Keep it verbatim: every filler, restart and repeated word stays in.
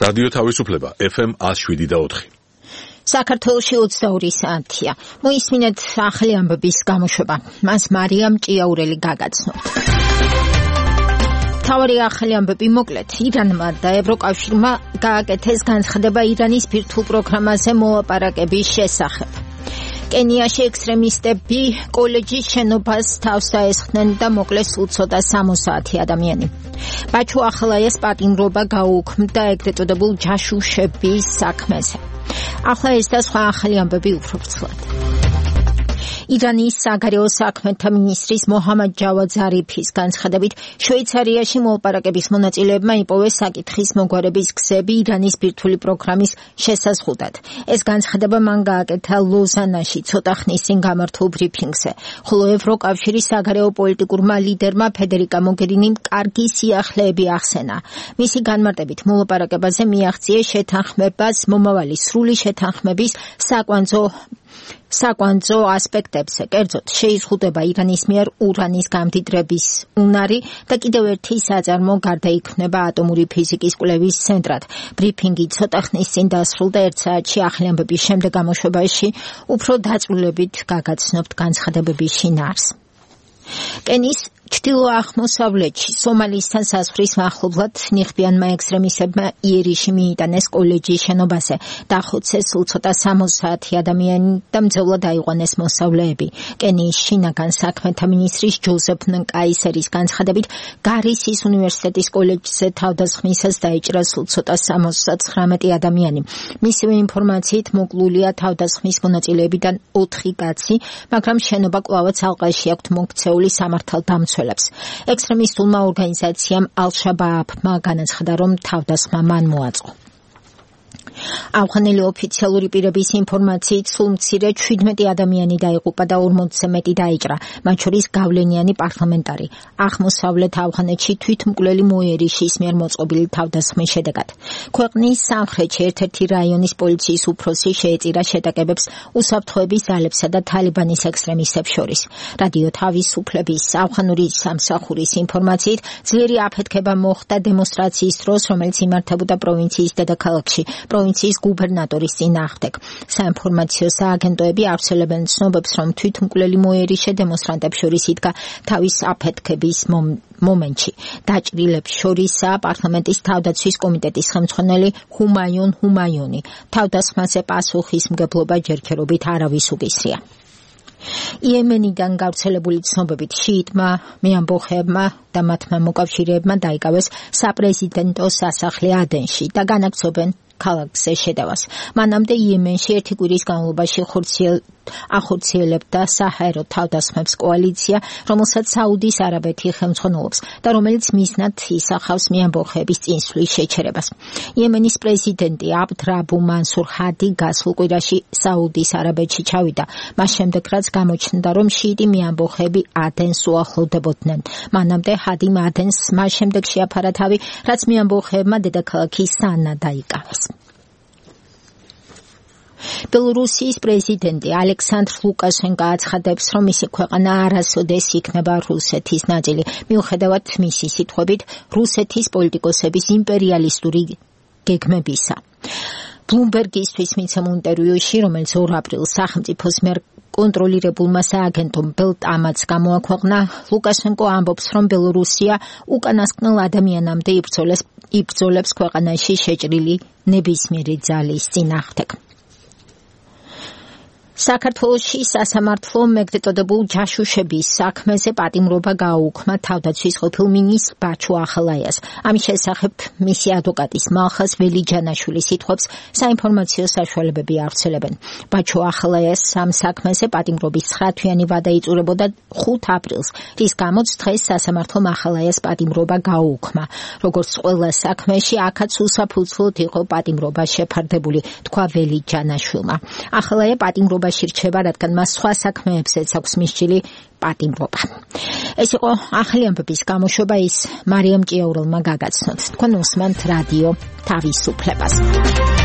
რადიო თავისუფლება ეფ ემ one oh seven და four. საქართველოში ოცდაორი საათია. მოისმინეთ ახალი ამბების გამოშვება. მას მარიამ ჭიაურელი გაგაცნობთ. თავარი ახალი ამბები მოკლედ. ირანმა და ევროკავშირმა გააკეთეს განცხადება ირანის ბირთვულ პროგრამაზე მოლაპარაკების შესახებ. კენიაში ექსტრემისტები კოლეჯის შენობას თავს დაესხნენ და მოკლეს სულ ცოტა სამოცი ადამიანი. ბაჩუ ახალაიას პატიმრობა გაუქმდა ეგრეთ წოდებულ ჯაშუშების საქმეზე. ახლა ეს და სხვა ახალი ამბები უფრო ვრცლად. ირანის საგარეო საქმეთა მინისტრის მოჰამად ჯავად ზარიფის განცხადებით შვეიცარიაში მოლაპარაკების მონაწილეებმა იპოვეს საკითხის მოგვარების გზები ირანის ბირთვული პროგრამის შესაზღუდად. ეს განცხადება მან გააკეთა ლოზანაში ცოტა ხნის წინ გამართულ ბრიფინგზე, ხოლო ევროკავშირის საგარეო პოლიტიკურმა ლიდერმა ფედერიკა მოგერინიმ კარგი სიახლეები ახსენა. მისი განმარტებით მოლაპარაკებაზე მიაღწიეს შეთანხმებას მომავალი სრული შეთანხმების საკვანძო საკვანძო ასპექტებზე, კერძოდ შეიზღუდება ირანის მიერ ურანის გამდიდრების უნარი და კიდევ ერთი საწარმო გარდაიქმნება ატომური ფიზიკის კვლევის ცენტრად. ბრიფინგი ცოტა ხნის წინ დასრულდა ერთ საათში ახალი ამბების შემდეგ გამოშვებაში უფრო დაწვრილებით გაგაცნობთ განცხადებების შინაარს. კენის ჩრდილო-აღმოსავლეთში სომალისთან საზღვრის მახლობლად ნიღბიანმა ექსტრემისტებმა იერიში მიიტანეს კოლეჯის შენობაზე, დახოცეს სულ ცოტა სამოცი ადამიანი და მძევლად აიყვანეს მოსწავლეები. კენიის შინაგან საქმეთა მინისტრის ჯოზეფ ნკაისერის განცხადებით გარისის უნივერსიტეტის კოლეჯზე თავდასხმისას დაიჭრა სულ ცოტა სამოცდათხრამეტი ადამიანი. მისივე ინფორმაციით მოკლულია თავდასხმის მონაწილეებიდან ოთხი კაცი, მაგრამ შენობა კვლავაც ალყაში აქვთ მოქცეული სამართალდამცველებს. ექსტრემისტულმა ორგანიზაციამ ალ-შაბააბმა განაცხადა, რომ თავდასხმა მან მოაწყო. ავღანელი ოფიციალური პირების ინფორმაციით სულ მცირე შვიდმეტი ადამიანი დაიღუპა და ორმოცზე მეტი დაიჭრა, მათ შორის გავლენიანი პარლამენტარი. აღმოსავლეთ ავღანეთში თვითმკვლელი მოიერიშის მიერ მოწყობილი თავდასხმის შედეგად. ქვეყნის სამხრეთში ერთ-ერთი რაიონის პოლიციის უფროსი შეეწირა შეტაკებებს უსაფრთხოების ძალებსა და თალიბანის ექსტრემისტებს შორის. რადიო თავისუფლების ავღანური სამსახურის ინფორმაციით ძლიერი აფეთქება მოხდა დემონსტრაციის დროს, რომელიც იმართებოდა პროვინციის დედაქალაქში. პროვინციის გუბერნატორის წინააღმდეგ. საინფორმაციო სააგენტოები ავრცელებენ ცნობებს, რომ თვითმკვლელი მოიერიშე დემონსტრანტებს შორის იდგა თავის აფეთქების მომენტში. დაჭრილებს შორისაა პარლამენტის თავდაცვის კომიტეტის ხელმძღვანელი ჰუმაიონ ჰუმაიონი. თავდასხმაზე პასუხისმგებლობა ჯერჯერობით არავის უკისრია. იემენიდან გავრცელებული ცნობებით შიიტმა მეამბოხეებმა და მათმა მოკავშირეებმა დაიკავეს საპრეზიდენტო სასახლე ადენში და განაგრძობენ ქალაქზე შედევას. მანამდე იემენში ერთი კვირის განმავლობაში ახორციელებდა საჰაერო თავდასხმებს კოალიცია, რომელსაც საუდის არაბეთი ხელმძღვანელობს და რომელიც მიზნად ისახავს მეამბოხეების წინსვლის შეჩერებას. იემენის პრეზიდენტი აბდ რაბუ მანსურ ჰადი გასულ კვირაში საუდის არაბეთში ჩავიდა. მას შემდეგ რაც გამოჩნდა, რომ შიიტი მეამბოხეები ადენს უახლოვდებოდნენ. მანამდე ჰადიმ ადენს მას შემდეგ შეაფარა თავი, რაც მეამბოხეებმა დედაქალაქი სანა დაიკავეს. ბელორუსიის პრეზიდენტი ალექსანდრ ლუკაშენკო აცხადებს, რომ მისი ქვეყანა არასოდეს იქნება რუსეთის ნაწილი. მიუხედავად მისი სიტყვებით, რუსეთის პოლიტიკოსების იმპერიალისტური გეგმებისა. ბლუმბერგისთვის მიცემულ ინტერვიუში, რომელიც ორ აპრილს სახელმწიფოს მიერ კონტროლირებულმა სააგენტომ ბელტამაც გამოაქვეყნა, ლუკაშენკო ამბობს, რომ ბელორუსია უკანასკნელ ადამიანამდე იბრძოლებს იბრძოლებს ქვეყანაში შეჭრილი ნებისმიერი ძალის წინააღმდეგ. საქართველოში სასამართლო ეგრეთ წოდებულ ჯაშუშების საქმეზე პატიმრობა გააუქმა თავდაცვის ყოფილ მინისტრ ბაჩუ ახალაიას. ამის შესახებ მისი ადვოკატის მალხაზ ველიჯანაშვილის სიტყვებს საინფორმაციო საშუალებები ავრცელებენ. ბაჩუ ახალაიას ამ საქმეზე პატიმრობის ცხრა თვიანი ვადა იწურებოდა ხუთ აპრილს, რის გამოც დღეს სასამართლომ ახალაიას პატიმრობა გააუქმა. როგორც ყველა საქმეში, აქაც უსაფუძვლოდ იყო პატიმრობა შეფარდებული, თქვა ველიჯანაშვილმა. ახალაია პატიმრობა რჩება, რადგან მას სხვა საქმეებზეც აქვს მისჯილი პატიმრობა. ეს იყო ახალი ამბების გამოშვება, ის მარიამ ჭიაურელმა გაგაცნოთ. თქვენ უსმენთ რადიო თავისუფლებას.